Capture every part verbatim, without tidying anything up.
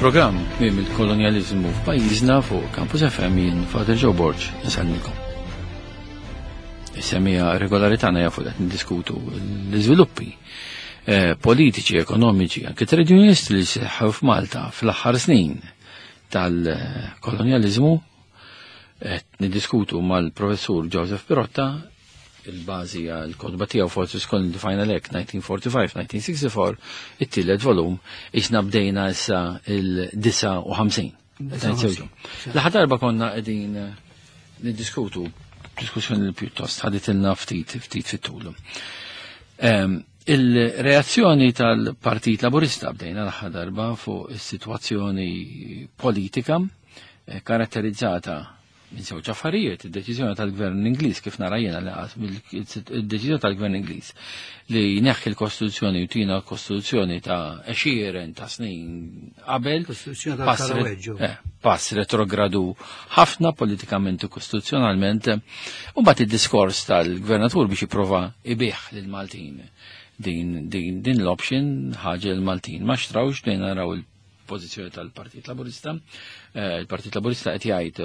Il-programm Tmiem il-Kolonjaliżmu f'pajjiżna fuq Campus F M jien Father Joe Borg nsalmikom. Is-semija regolari tagħna jafu qed niddiskutu l-iżviluppi, eh, politiċi, ekonomiċi, anke trade unionisti li seħħew f'Malta fl-aħħar snin tal-kolonjaliżmu. Qed niddiskutu mal-professur Joseph Pirotta il-bażi għal-kotba tiegħu Fortress Colony the Final Act nineteen forty-five nineteen sixty-four, it-tielet volum, isna bdejna issa il-disa u ħamsin. L-aħħar darba konna qegħdin niddiskutu diskussjoni li pjuttost ħaditilna ftit, ftit fit-tul. Ehm, il-reazzjoni tal-Partit Laburista bdejna l-aħħar darba fuq is-sitwazzjoni politika, eh, karatterizzata minn żewġ affarijiet, id-deċiżjoni tal-Gvern Ingliż kif nara jiena li qas id-deċiżjoni tal-Gvern Ingliż li jneħħi l-Kostituzzjoni u tina l-Kostituzzjoni ta' għexieren ta' snin qabel, Kostituzzjoni pass re- tal-Karaweġġu. eh, pass retrogradu ħafna politikament u kostituzzjonalment, u mbagħad id-diskors tal-Gvernatur biex jipprova ibih lill-Maltin din, din, din l-option ħaġa l-Maltin ma xtrawx, bdejna naraw il-pożizzjoni tal-Partit Laburista. Eh, il-Partit Laburista qed jgħid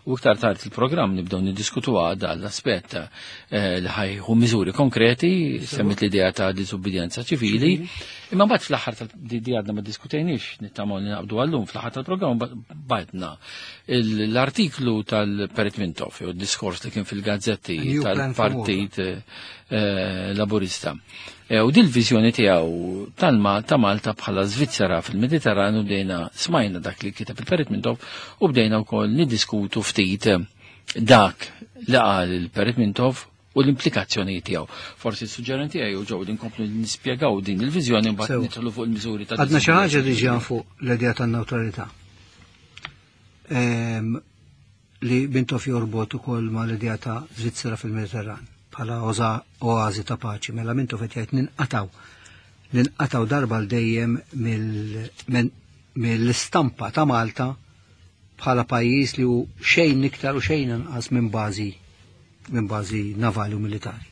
u iktar tard il-programm nibdew niddiskutu għada l-aspett, eh, li ħajħu miżuri konkreti, semmit l-idea ta' diżubbidjenza ċivili, imma mbagħad fl-aħħar tal-, di, di għadna ma diskutejniex, nittamaw li naqbdu għallum, fl-aħħar tal-programm ba-, bajtna il-, l-artiklu tal-Perit Mintoff, jew d-diskors li kien fil-gazzetti New Plan for tal-Partit, eh, Laburista. Eh, u dil-viżjoni tiegħu tal-Ma-, ta' Malta bħala Svizzera fil-Mediterranu, bdejna smajna dak li kiteb il-Perit Mintoff u bdejna wkoll niddiskutu ftit dak li qal il-Perit Mintoff u l-implikazzjoni tiegħu. Forsi s-suġġerenti tiegħi u ġew li nkomplu nispjegaw din il-viżjoni mbagħad Sew. nidħlu fuq il-miżuri ta' Għadna xi ħaġa diżubbidjenza. diġà fuq l-idea tan-newtralità. Ehm, li Mintoff jorbot ukoll ma' l-idea ta' Svizzera fil-Mediterran bħala oza-, oazi ta' paċi. Mela Mintoff qed jgħid ninqataw. Ninqataw darba l dejjem mill-, men-, mill-istampa ta' Malta bħala pajjiż li hu xejn iktar u xejn inqas minn bażi, minn bażi navali u militari.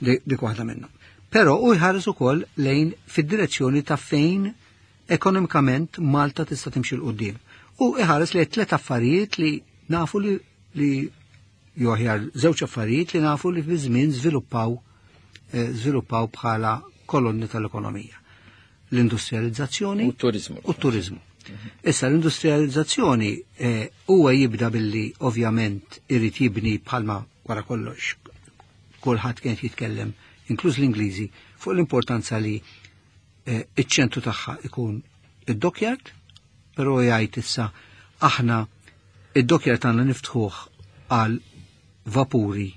Di-, dik waħda minnhom. Però hu jħares ukoll lejn fid-direzzjoni ta' fejn ekonomikament Malta tista' timxi 'l quddiem. U jħares lejn tliet affarijiet li nafu li, li jew aħjar żewġ affarijiet li nafu li fi żmien żviluppaw, eh, żviluppaw bħala kolonni tal-ekonomija. L-industrializzazzjoni u t-turizmu. U t-turizmu. Issa l-industrializzazzjoni, eh, huwa jibda billi ovvjament irid jibni bħalma wara kollox kulħadd kien jitkellem, inkluż l-Ingliżi, fuq l-importanza li, eh, iċ-ċentru tagħha ikun id-dockyard, però jgħid issa aħna id-dockyard tagħna niftħuh għal vapuri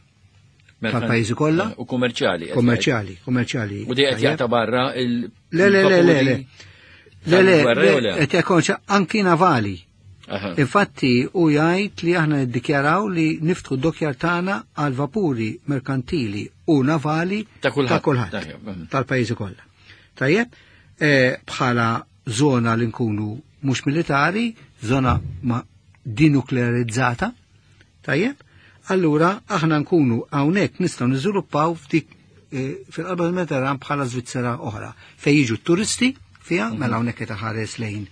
Merkan- tal-pajjiżi kollha. U kummerċjali, qed jgħid. Kummerċjali, kummerċjali. U di qed Tajjeb. jaqta' barra il- Le, le, le, le, le. Le, le, tal-gwerra le, jew le? qed jkun xa-, anki navali. Aha. Infatti u jgħid li aħna niddikjaraw li niftħu d-dockyard tagħna għal vapuri merkantili u navali Ta' kulħadd. ta' kulħadd. Tajjeb, mhm. Tal-pajjiżi kollha. Tajjeb, eh, bħala żona li nkunu mhux militari, żona ma dinuklearizzata, tajjeb, allura aħna nkunu hawnhekk nistgħu niżviluppaw f'dik, eh, fil-qalba tal-Mediterran bħala Svizzera oħra, fejn jiġu t-turisti fiha, Mhm. mela hawnhekk qed iħares lejn,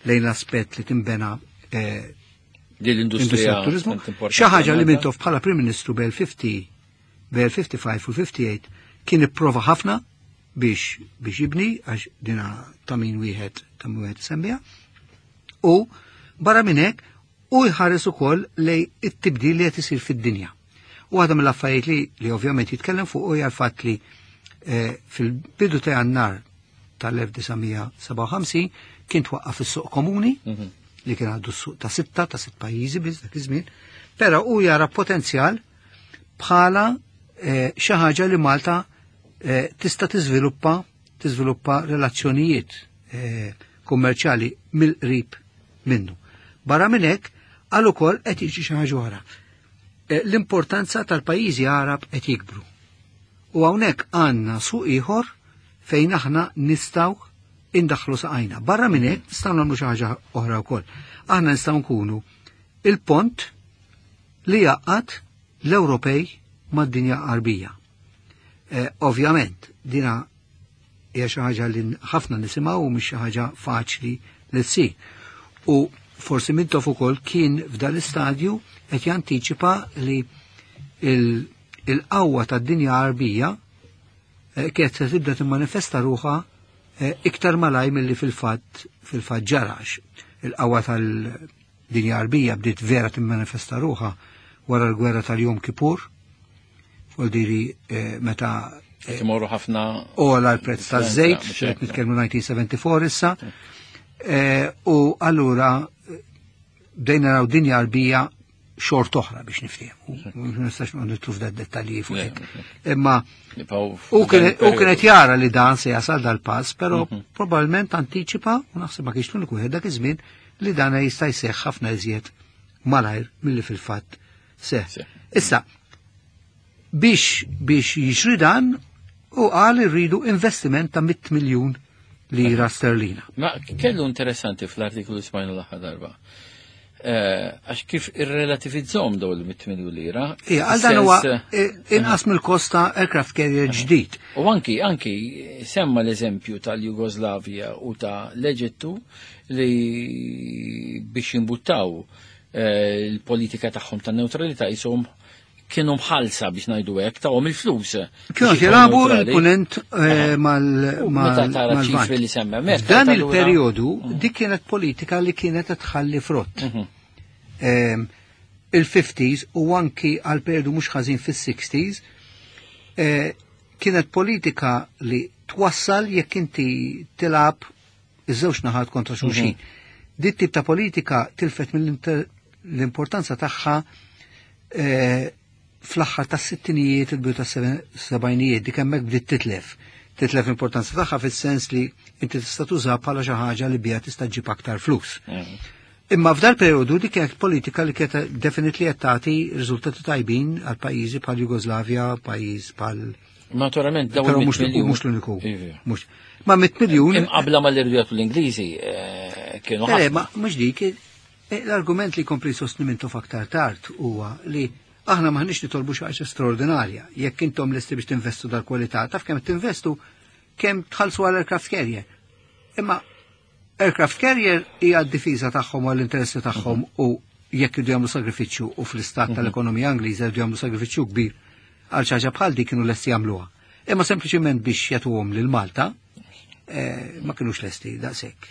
lejn l-aspett li timbena, eh, Din l-industrija industrija tat-turizmu. tant importanti Xi ħaġa li għal Malta. Mintoff bħala Prim Ministru bejn fifty, bejn fifty-five u fifty-eight kien ipprova ħafna biex, biex jibni, għax dina ta' min wieħed, ta' min wieħed semmija. U barra minn hekk u jħares ukoll lej it-tibdil li qed isir fid-dinja. U waħda mill-affarijiet li, li ovvjament jitkellem fuq hija l-fatt li, eh, fil-bidu ta' Jannar tal-elf disa' mija seba' u ħamsin kien twaqqaf is-suq komuni, Mhm. li kien għaddu s-suq ta' sitta, ta' sitt pajjiżi biss dak iż-żmien, però hu jara potenzjal bħala, eh, xi ħaġa li Malta, eh, tista' tiżviluppa, tiżviluppa relazzjonijiet, eh, kummerċjali mill-qrib minnu. Barra minn hekk, għal ukoll qed jiġi xi ħaġa oħra. Eh, l-importanza tal-pajjiżi Arab qed jikbru. U hawnhekk għandna suq ieħor fejn aħna nistgħu indaħħlu saqajna. Barra minn hekk nistgħu nagħmlu xi ħaġa oħra wkoll. Aħna nistgħu nkunu il-pont li jaqgħad l-Ewropej mad-dinja Qarbija. Eh, ovvjament, dina hija xi ħaġa li ħafna nisimgħu u mhix xi ħaġa faċli li ssir. U forsi Mintoff ukoll kien f'dan l-istadju qed jantiċipa li il-qawwa tad-dinja Għarbija kienet se tibda timmanifesta ruħha iktar malaj milli fil-fatt fil-fatt ġarax. Il-qawwa tal-dinja Għarbija bdiet vera timmanifesta ruħha wara l-gwerra tal-Jom Kippur, fuq meta imorru ħafna ola l-prezz taż-żejt, qed nitkellmu nineteen seventy-four issa. U allura bdejna naraw dinja Għarbija xort oħra biex niftehmu. Ma nistax nidħlu f'da dettalji fuq hekk. Imma u kienet jara li dan se jasal dal-pass, però probabbilment antiċipa, u naħseb ma kienx l-uniku wieħed dak iż-żmien li dan jista' jseħħ ħafna iżjed malajr milli fil-fatt seħħ. Issa, biex biex jiġri dan, u qal irridu investiment ta' mitt miljun lira sterlina. Ma kellu interessanti fl-artiklu li smajna l-aħħar darba. Għax kif irrelativizzom daw il-mitt miljun lira. Ija, għal dan huwa inqas mill-kost ta' aircraft carrier ġdid. U anki, anki semma l-eżempju tal-Jugoslavja u ta' l-Eġittu li biex jimbuttaw il-politika tagħhom ta' neutralità jisom kienu mħalsa biex ngħidu hekk tawhom il-flus. Kienu jilagħbu l-punent mal-ċifri li semma. Dan il-perjodu dik kienet politika li kienet tħalli frott. Il-fifties u anki għal perjodu mhux ħażin fis-sixties kienet politika li twassal jekk inti tilgħab iż-żewġ naħat kontra xulxin. Dit tip ta' politika tilfet mill-importanza tagħha fl-aħħar tas-sittinijiet, il-bidu tas-sebgħinijiet, dik hemmhekk bdiet titlef. Titlef l-importanza tagħha fis-sens li inti tista' tużha bħala xi ħaġa li biha tista' ġġib aktar flus. Imma f'dal perjodu dik kienet politika li kienet definitely qed tagħti riżultati tajbin għal pajjiżi bħal Jugoslavja, pajjiż bħal Naturalment dawn mhux l-uniku. Ma mitt miljun imqabla mal-irdu l-Ingliżi kienu ħafna. Ma mhux dik, l-argument li kompli sostni Mintoff aktar tard huwa li aħna maħniex nitolbu xi ħaġa straordinarja. Jekk intom lesti biex tinvestu dal-kwalità, taf kemm tinvestu kemm tħallsu għal aircraft carrier. Imma aircraft carrier hija d-difiża tagħhom u l-interessi tagħhom u jekk jridu jagħmlu sagrifiċċju u fl-istat tal-ekonomija Ingliża jridu jagħmlu sagrifiċċju kbir għal xi ħaġa bħal dik kienu lesti jagħmluha. Imma sempliċiment biex jagħtuhom lil Malta ma kinux lesti daqshekk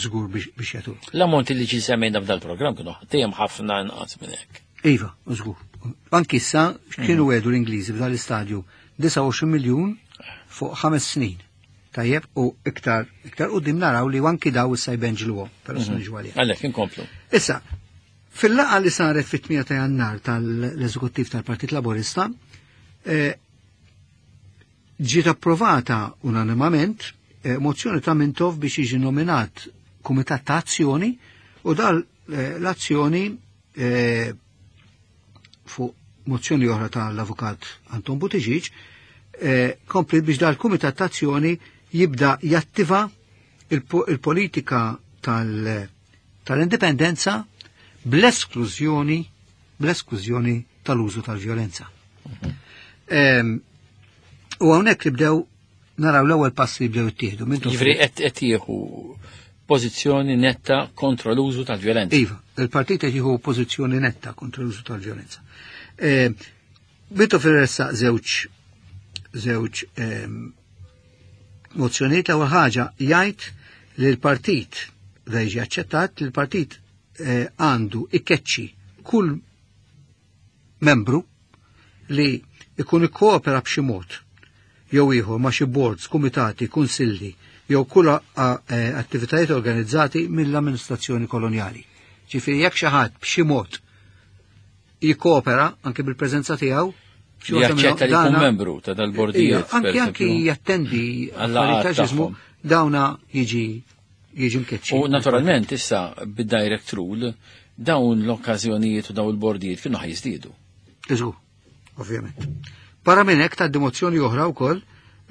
żgur biex jagħtuhom. L-ammonti li ġi semmejna f'dal-programm kienu dejjem ħafna inqas minn hekk. Iva, żgur. Anki issa kienu għedu l-Ingliżi f'dan l-istadju disgħa u għoxrin miljun fuq ħames snin. Tajjeb, u iktar iktar qudiem naraw li anki daw issa jbenġluhom, però se niġu għalih. Għalhekk inkomplu. Issa, fil-laqgħa li saret fit-tmienja ta' Jannar tal-Eżekuttiv tal-Partit Laburista, ġiet approvata unanimament mozzjoni ta' Mintoff biex jiġi nominat Kumitat ta' Azzjoni u dal l-azzjoni fuq mozzjoni oħra tal-Avukat Anton Buttigieg kompli biex dal-Kumitat ta' Azzjoni jibda jattiva il-politika tal-indipendenza bl-esklużjoni bl-esklużjoni tal-użu tal-vjolenza. U hawnhekk li bdew naraw l-ewwel passi li bdew ittieħdu. Jiġifieri qed jieħu pożizzjoni netta kontra l-użu tal-vjolenza. Iva, il-partit qed jieħu pożizzjoni netta kontra l-użu tal-vjolenza. Mintoff irressaq żewġ żewġ mozzjonijiet. L-ewwel ħaġa jgħid li l-partit da jiġi aċċettat li l-partit għandu ikkeċċi kull membru li ikun ikkoopera b'xi mod jew ieħor ma' xi boards, kumitati, kunsilli jew kull attivitajiet organizzati mill-amministrazzjoni kolonjali. Ġifieri jekk xi ħadd b'xi mod jikkoopera anke bil-preżenza tiegħu, jaċċetta li jkun membru ta' dal-bordijiet. Anki anki jattendi affarijiet ġismu dawna jiġi jiġi mkeċċi. U naturalment issa bid-direct rule dawn l-okkażjonijiet u dawn il-bordijiet kienu ħajżdiedu. Iżgur, ovvjament. Barra minn hekk tgħaddi mozzjoni oħra wkoll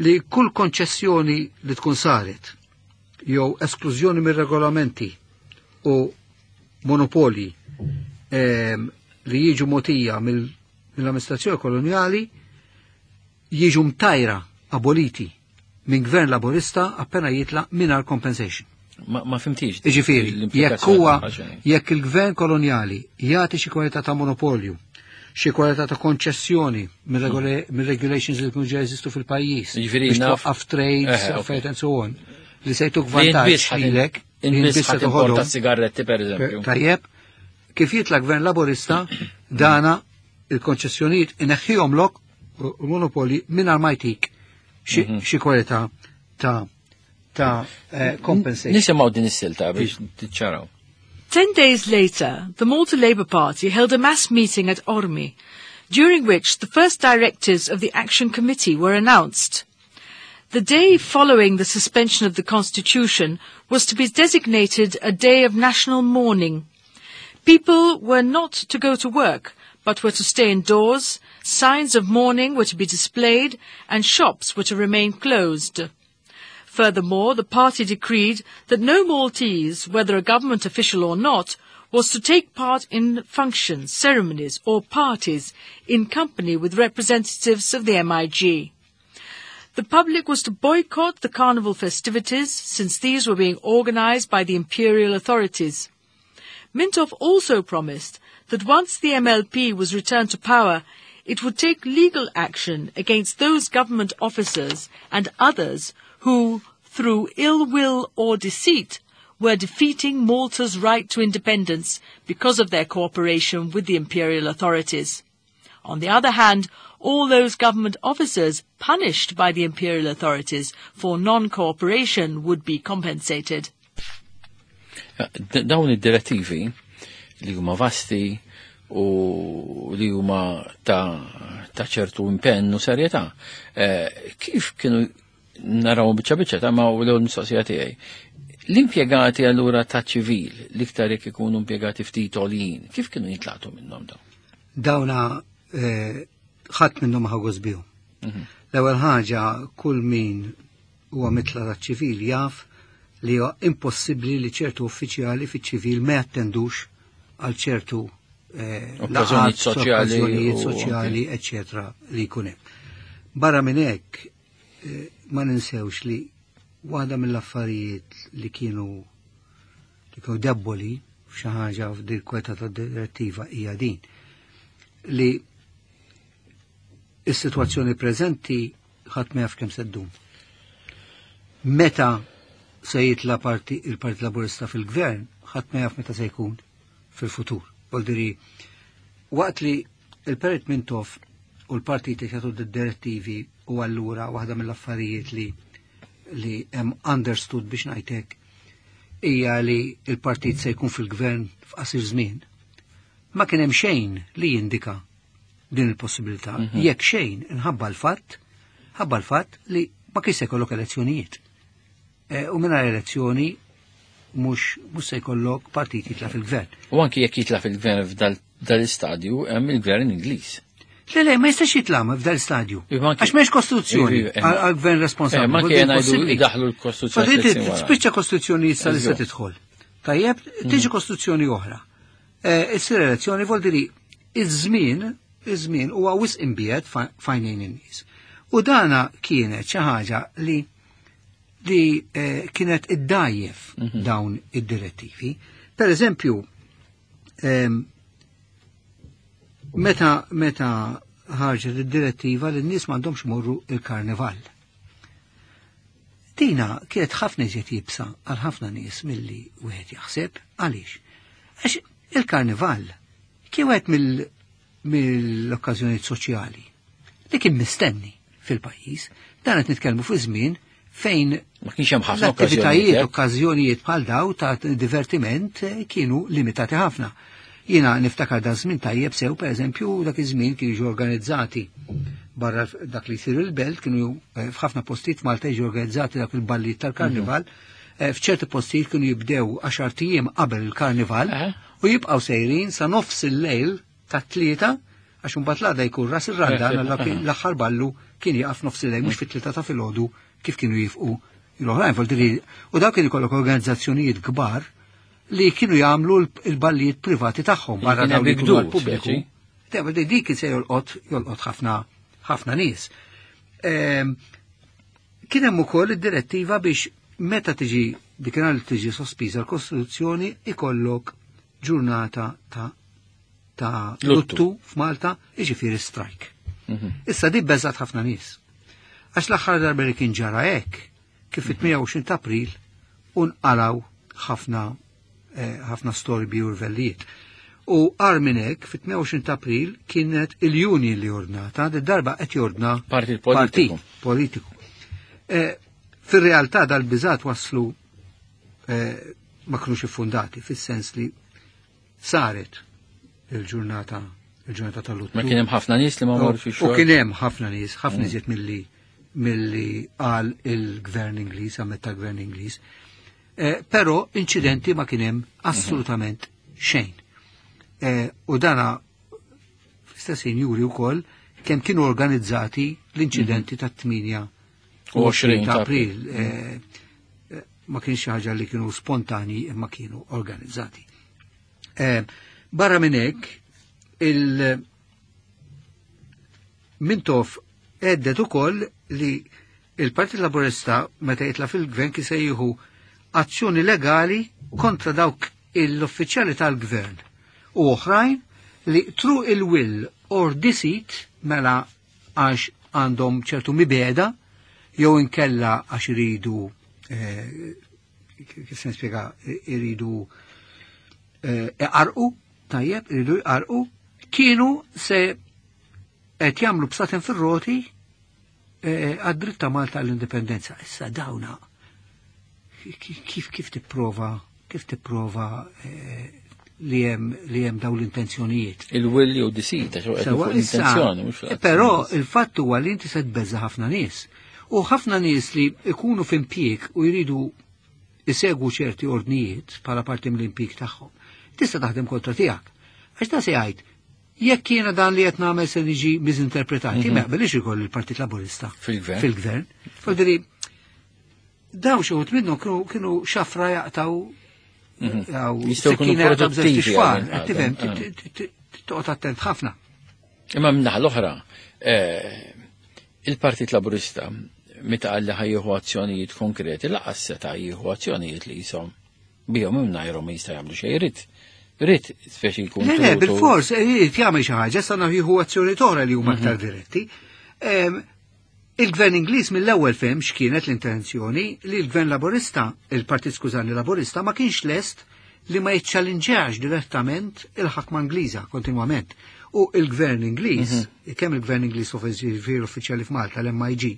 li kull konċessjoni li tkun saret jew esklużjoni mir-regolamenti u monopoli li jiġu motija mill-amministrazzjoni koloniali jiġu mtajra aboliti minn gvern laburista appena jitla mingħajr compensation. Ma, ma fhimtx. Iġifieri, jekk l-implikazzjoni huwa tagħha x'inhi. Jekk il-gvern koloniali jagħti xi kwalità ta' monopolju, xi kwalità ta' konċessjoni mir-regulations li jkunu ġa jeżistu fil-pajjiż, Jiġifieri biex naf- twaqqaf trades, Eh, affarijiet and so on, li se jtuk Li int vantaġġ biss ħa lilek, li int int biss biss ħa se timporta toħodhom. sigaretti per eżempju. Tajjeb, kif jitla gvern Laborista, dana il-konċessjonijiet ineħħihomlok u monopoli mingħajr ma jtik xi Mhm. xi kwalità ta' ta' eh, compensation. Nisimgħu din is-silta biex tiċċaraw. Ten days later, the Malta Labour Party held a mass meeting at Qormi, during which the first directives of the Action Committee were announced. The day following the suspension of the Constitution was to be designated a day of national mourning. People were not to go to work, but were to stay indoors, signs of mourning were to be displayed, and shops were to remain closed. Furthermore, the party decreed that no Maltese, whether a government official or not, was to take part in functions, ceremonies or parties in company with representatives of the M I G. The public was to boycott the carnival festivities, since these were being organized by the imperial authorities. Mintoff also promised that once the M L P was returned to power, it would take legal action against those government officers and others who, through ill will or deceit, were defeating Malta's right to independence because of their cooperation with the imperial authorities. On the other hand, all those government officers punished by the imperial authorities for non-cooperation would be compensated. D- Dawn id-direttivi li huma vasti u li huma ta' ta' ċertu impenn u serjetà, eh, kif kienu naraw biċċa biċċa ta' ma' l-ewwel mistoqsija tiegħi? L-impjegati allura ta' ċivil, l-iktar jekk ikunu impjegati ftit għoljin, kif kienu jintlaqtu minnhom dawn? Dawna eh, ħadd minnhom ħa gost bihom. L-ewwel ħaġa, kull min huwa mitla ta' ċivil jaf li huwa impossibbli li ċertu uffiċjali fiċ-ċivil ma jattendux għal ċertu eh, okkażjonijiet laqgħat, soċjali okkażjonijiet u- soċjali, eċċetera, li jkun hemm. Barra minn hekk eh, ma ninsewx li waħda mill-affarijiet li kienu li kienu debboli f'xi ħaġa f'dil kweta ta' direttiva hija din li is-sitwazzjoni preżenti ħadd ma jaf kemm se ddum. Meta se jitla parti il-Partit Laburista fil-Gvern, ħadd ma jaf meta se jkun fil-futur. Voldiri, waqt li il-Perit Mintoff u l-partiti jagħtu d-direttivi u allura waħda mill-affarijiet li li hemm understood, biex ngħidlek, hija li il-partit se jkun fil-gvern f'qasir żmien. Ma kien hemm xejn li jindika din il-possibilità. Jekk xejn, inħabba l-fatt, ħabba l-fatt li ma kienx se jkollok elezzjonijiet. E, u mingħajr elezzjoni mhux mhux se jkollok partit jitla fil-gvern. U anki jekk jitla fil-gvern f'dal-istadju, hemm il-gvern Ingliż. Le, le, ma jistax jitla f'dal stadju. Iva, anki- Għax m'hemmx kostituzzjoni Iva, eh. għal għal gvern responsabbli. Eh, ma Vuol anke dire ngħidu impossibbli. daħlu l-Kostituzzjoni Fa' tliet snin wara. Spiċċa kostituzzjoni issa li se Eżatt. tidħol. Tajjeb, tiġi kostituzzjoni oħra. Eh, Issir elezzjoni, vuol dire iż-żmien, iż-żmien huwa wisq imbiegħed f'għajnejn in-nies. U dana kienet xi ħaġa li li eh, kienet iddajjef dawn id-direttivi. Per eżempju, em, meta meta ħarġet id-direttiva li n-nies m'għandhomx morru il-karnival. Dina kienet ħafna iżjed iebsa għal ħafna nies milli wieħed jaħseb. Għaliex? Għax il-karnival kien wieħed mill- mill-okkażjonijiet soċjali li kien mistenni fil-pajjiż. Dan qed nitkellmu fi żmien fejn Ma kienx hemm ħafna l-attivitajiet, okkażjonijiet. okkażjonijiet bħal daw ta' divertiment eh, kienu limitati ħafna. Jiena niftakar dan żmien tajjeb sew, per eżempju, dak iż-żmien kienu jiġu organizzati barra dak li jsiru il-belt, kienu eh, f'ħafna postijiet Malta jiġu organizzati dak il-balliet tal-karnival. Eh, F'ċerti postijiet kienu jibdew għaxart ijiem qabel il-karnival Aha. u jibqgħu sejrin sa nofs il-lejl ta' tlieta, għax imbagħad l-għada jkun Ras ir-Randan, Eh, allora kien- l-aħħar ballu kien jaqaf nofs il-lejl, mhux fit-tlieta ta' filgħodu kif kienu jifqu l-oħrajn. Vuol dire, u dawk kienu jkollok organizzazzjonijiet kbar li kienu jagħmlu l- il-ballijiet privati tagħhom barra Kien dawn hemm li jkunu bigdu, għall-pubbliku. speċi. Te, vuol dire, dik se jolqot jolqot ħafna ħafna nies. Ehm, Kien hemm ukoll id-direttiva biex meta tiġi dikinhar li tiġi sospiża l-Kostituzzjoni ikollok ġurnata ta' ta' luttu f'Malta, jiġifieri strike. Issa di beżat ħafna nies. Għax l-aħħar darba li kien ġara hekk, kif fit-tmienja u għoxrin ta' April unqalaw ħafna ħafna storbi u rvellijiet. U agħar minn hekk, fit-tmienja u għoxrin ta' April kienet il-union li ordnata, darba qed jordna partit politiku. Partit politiku. Fir-realtà dal-biżat waslu ma kinux iffundati, fis-sens li saret il-ġurnata il-ġurnata tal-luttu. Ma kien hemm ħafna nies li ma marrux ix-xogħol. U kien hemm ħafna nies, ħafna iżjed milli milli qal il-gvern Ingliż, ammetta l-gvern Ingliż. Però inċidenti ma kien hemm assolutament xejn. U dana fl-istess ħin juri wkoll kemm kienu organizzati l-inċidenti tat-tmienja u għoxrin ta' April. Ma kienx xi ħaġa li kienu spontani imma kienu organizzati. Barra minn hekk, il Mintoff għeddet ukoll li il-Partit Laburista meta jitla fil-gvern kien se jieħu azzjoni legali kontra dawk l-uffiċjali tal-gvern u oħrajn li through il-will or deceit, mela għax għandhom ċertu mibeda jew inkella għax iridu kif se nispjega, iridu iqarqu, tajjeb, iridu jqarqu, kienu se qed jagħmlu bsaten fir-roti għad-dritt ta' Malta għall-indipendenza. Issa dawna kif kif tipprova kif tipprova li hemm li hemm dawn l-intenzjonijiet. Il-will jew deceit, għax qed fuq l-intenzjoni, mhux. Però il-fatt huwa li inti se tbeżza ħafna nies. U ħafna nies li ikunu f'impjieg u jridu isegwu ċerti ordnijiet bħala parti mill-impjieg tagħhom. Tista' taħdem kontra tiegħek. Għax ta' se jgħid, jekk jiena dan li qed nagħmel se niġi miżinterpretati, ma jaqbilx ikoll il-Partit Laburista fil-gvern. Fil-gvern. Fodri, daw xi wħud minnhom kienu xafra jaqtaw jistgħu jkunu produttivi. Tifhem, toqgħod attent ħafna. Imma min-naħa l-oħra, il-Partit Laburista meta qal li ħajjieħu azzjonijiet konkreti, laqas seta' jieħu azzjonijiet li jisom bihom mingħajrhom jista' jagħmlu xejn irid. Irid speċi jkun. Le, le, bil-fors, irid jagħmel xi ħaġa, sa jieħu azzjoni oħra li huma aktar diretti. Il-Gvern Ingliż mill-ewwel fehem x'kienet l-intenzjoni li l-Gvern Laburista, il-Partit Skużani Laburista, ma kienx lest li ma jiċċallinġax direttament il-ħakma Ingliża kontinwament. U il-Gvern Ingliż, kemm il-Gvern Ingliż uffiċjali f'Malta, l-M I G,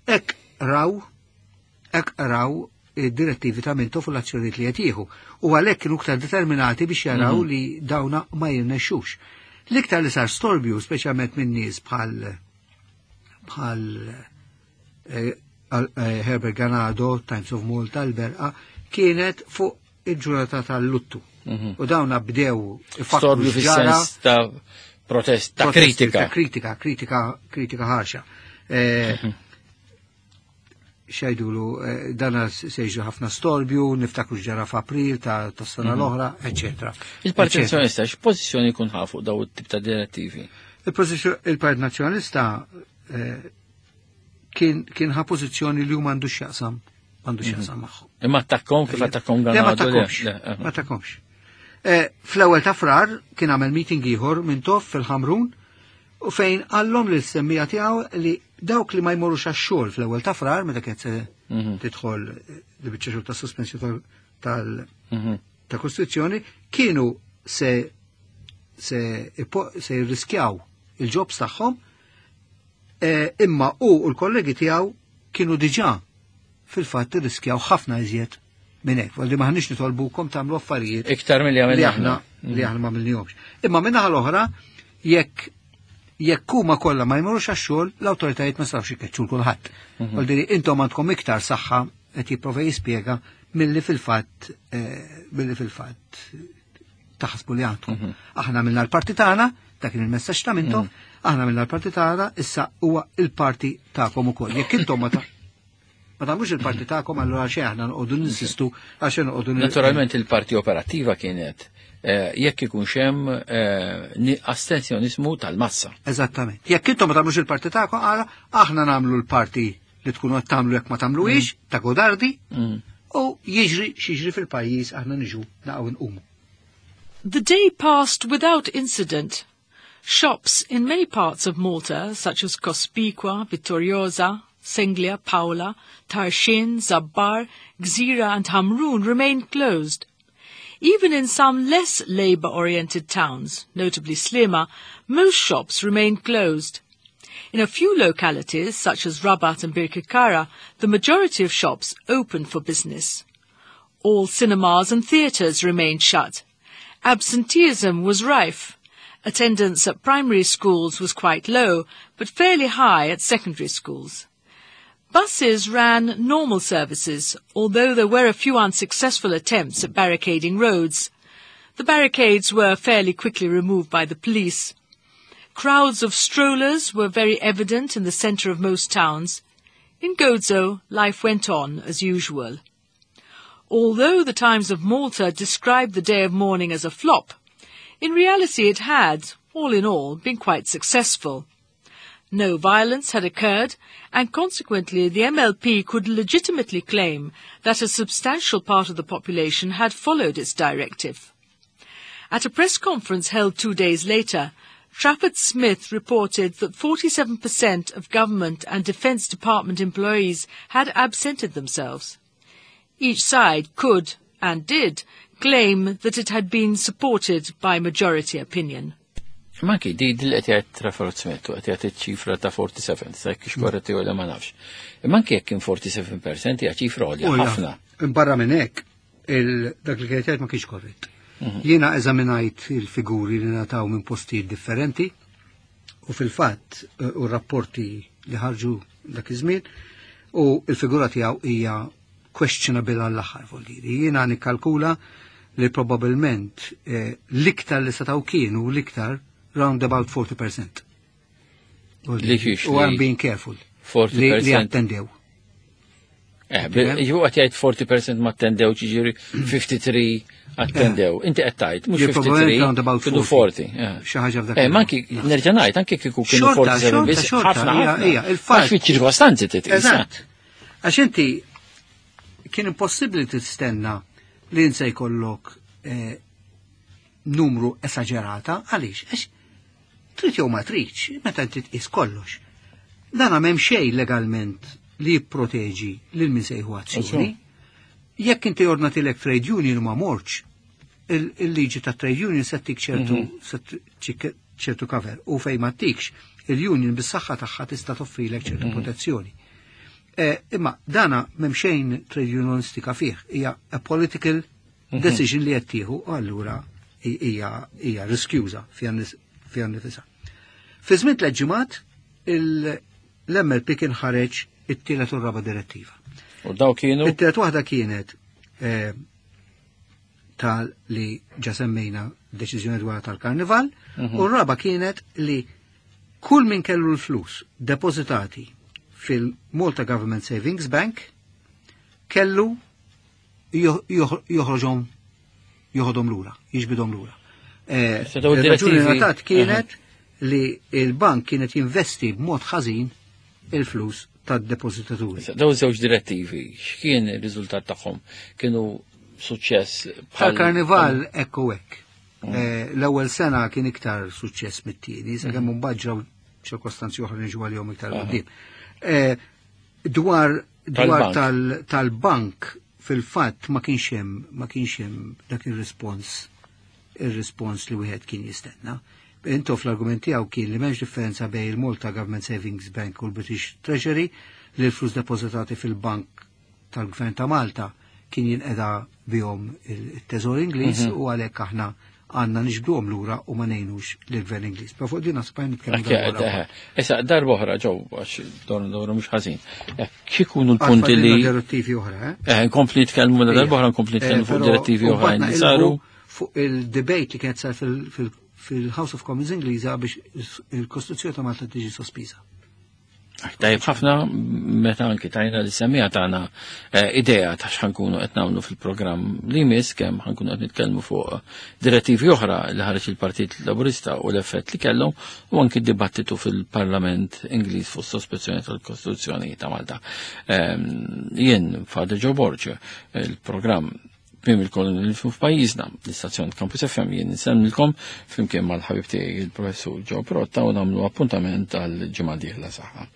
hekk raw, hekk raw id-direttivi ta' Mintoff u l-azzjonijiet li qed jieħu. U għalhekk kienu iktar determinati biex jaraw li dawna ma jirnexxux. L-iktar li sar storbju, speċjalment minn nies bħal bħal Herbert Ganado, Times of Malta, l-Berqa, kienet fuq il-ġurnata tal-luttu. U dawna bdew storbju fis-sens ta' protest, ta' kritika. Ta' kritika, kritika, kritika ħarxa. Xajdulu, dana sejġu ħafna storbju, niftakru ġara f'April ta' sena l-oħra, eccetera. Il-Partit Nazzjonalista x'pożizzjoni jkun ħa fuq daw it-tip ta' direttivi? Il-Partit Nazzjonalista kien ħa pożizzjoni li huma għandu x'jaqsam, għandu x'jaqsam magħhom. Imma attakkom kif attakkom Ganado? Ma attakkomx, ma attakkomx. Fl-ewwel ta' Frar kien għamel meeting ieħor Mintoff fil-Ħamrun u fejn qallhom lil semmija tiegħu li dawk li ma jmorrux għax-xogħol fl-ewwel ta' Frar meta kienet se tidħol li biċċa xogħol ta' sospensjoni tal kostituzzjoni kienu se se se jirriskjaw il-ġobs tagħhom, imma u l-kollegi tiegħu kienu diġà fil-fatt irriskjaw ħafna iżjed minn hekk. Għalli maħniex nitolbukom tagħmlu affarijiet iktar milli għamilna li aħna ma għamilnihomx. Imma min-naħa l-oħra, jekk jekk huma kollha ma jmorrux għax-xogħol, l-awtoritajiet ma setgħux ikeċċu l kulħadd. Għalli intom għandkom iktar saħħa qed jipprova jispjega milli fil-fatt milli fil-fatt taħsbu li għandkom. Aħna għamilna l-parti tagħna, dak kien il-messaġġ ta' Mintoff, aħna għamilna l-parti tagħna, issa huwa il-parti tagħkom ukoll. Jekk intom ma ma tagħmlux il-parti tagħkom, allura xejn aħna noqogħdu ninsistu għax noqogħdu. Naturalment il-parti operattiva kienet jekk ikun hemm astenzjonizmu tal-massa. Eżattament. Jekk intom ma tagħmlux il-parti tagħkom, aħna nagħmlu l-parti li tkunu qed tagħmlu jekk ma tagħmluhiex, ta' godardi, u jiġri x'jiġri fil-pajjiż aħna niġu naqgħu nqumu. The day passed without incident. Shops in many parts of Malta, such as Cospicua, Vittoriosa, Senglea, Paola, Tarxien, Zabbar, Gzira and Hamrun remained closed. Even in some less labour-oriented towns, notably Sliema, most shops remained closed. In a few localities, such as Rabat and Birkirkara, the majority of shops opened for business. All cinemas and theatres remained shut. Absenteeism was rife. Attendance at primary schools was quite low, but fairly high at secondary schools. Buses ran normal services, although there were a few unsuccessful attempts at barricading roads. The barricades were fairly quickly removed by the police. Crowds of strollers were very evident in the centre of most towns. In Gozo, life went on as usual. Although the Times of Malta described the day of mourning as a flop, in reality it had, all in all, been quite successful. No violence had occurred, and consequently the M L P could legitimately claim that a substantial part of the population had followed its directive. At a press conference held two days later, Trafford Smith reported that forty-seven percent of government and Defence Department employees had absented themselves. Each side could, and did, claim that it had been supported by majority opinion. Manki, di di qed jgħid Trafford Smith u qed jgħid ċifra ta' erbgħa u erbgħin, sa kix korretti u ma nafx. Imma anki jekk kien erbgħa u sebgħin fil-mija hija ċifra għolja ħafna. Barra minn hekk, dak li kienet jgħid ma kienx korrett. Mhm. Jiena eżaminajt il-figuri li ngħataw minn postijiet differenti u fil-fatt eh, u rapporti li ħarġu dak iż-żmien u il-figura tiegħu hija questionable għall-aħħar, vuol dire. Jiena nikkalkula li probabilment eh, l-iktar li setgħu kienu l-iktar round about forty percent. Li xiex? U I'm being careful. forty percent. Li attendew. Eh, ġu qed jgħid forty percent ma attendew, ġiġiri tlieta u ħamsin attendew. Inti qed tgħid mhux tlieta u ħamsin, kienu forty. Xi ħaġa f'dak. Eh, manki nerġa' ngħid anke kieku kienu erbgħa u sebgħin biss ħafna ħafna. Il-fatt. Fiċ-ċirkostanzi titqis. Eżatt. Għax inti kien impossibbli tistenna li insa jkollok eh, numru esagerata, għaliex? Għax trid jew ma tridx, meta inti tqis kollox. Dan m'hemm xejn legalment li jipproteġi lil min se jieħu azzjoni. Jekk inti ordnatilek trade union u ma mortx, il-liġi ta' trade union se tik ċertu mhm. ċertu cover u fej ma tikx, il-union bis-saħħa tagħha tista' toffrilek ċertu mhm. protezzjoni. Eh, imma dana m'hemm xejn trade unionistika fih, hija a political mhm. decision li qed tieħu u allura hija hija riskjuża fiha nifisha. Fi żmien tliet ġimgħat l-M L P kien ħareġ it-tielet u raba direttiva. U daw kienu? It-tielet waħda kienet eh, tal li ġa semmejna, deċiżjoni dwar tal-karnival, mhm. u r-raba kienet li kull min kellu l-flus depositati fil-Malta Government Savings Bank kellu joħroġhom, joħodhom lura, jiġbidhom lura. Eh, il-raġuni ngħatat kienet li il-bank kienet jinvesti b'mod ħażin il-flus tad-depozitaturi. Daw żewġ direttivi, x'kien ir-riżultat tagħhom? Kienu suċċess? Tal-karnival ekku hekk. Mm. Eh, l-ewwel sena kien iktar suċċess mit-tieni, sakemm mm. mbagħad ġraw ċirkostanzi oħra niġu għalihom iktar quddiem. Eh, dwar dwar tal-bank, fil-fatt ma kienx hemm ma kienx hemm dak ir-rispons ir-rispons li wieħed kien jistenna. Intu fl-argument tiegħu kien li m'hemmx differenza bejn il-Malta Government Savings Bank u l-British Treasury, li l-flus depożitati fil-bank tal-Gvern ta' Malta kien jinqeda bihom il-Teżor Ingliż mhm. u għalhekk aħna għandna niġbduhom lura u ma ngħinux lill-Gvern Ingliż. Pa fuq din nasib nitkellmu. Issa darba oħra ġew għax dor dor mhux ħażin. X'ikunu l-punti li direttivi oħra, eh? Eh, nkompli nitkellmu darba oħra, nkompli nitkellmu fuq direttivi oħra li saru. Fuq il-debate li kienet sar fil-House of Commons Ingliża biex il-Kostituzzjoni ta' Malta tiġi sospiża. Tajjeb ħafna meta anki tajna li semmija tagħna eh, idea ta' x'ħankunu qed nagħmlu fil-programm li jmiss, kemm ħankunu qed nitkellmu fuq direttivi oħra li ħareġ il-Partit Laburista u l-effett li kellhom u anki dibattitu fil-Parlament Ingliż fuq sospensjoni tal-Kostituzzjoni ta' Malta. Ehm, jien Father Joe Borg, il-programm Tmiem il-kolonializmu f'pajjiżna, l-istazzjon Campus F M, jien insellmilkom flimkien mal-ħabib tiegħi, il-professur Joe Pirotta, u nagħmlu appuntament għal ġimgħa dieħla. Saħħa.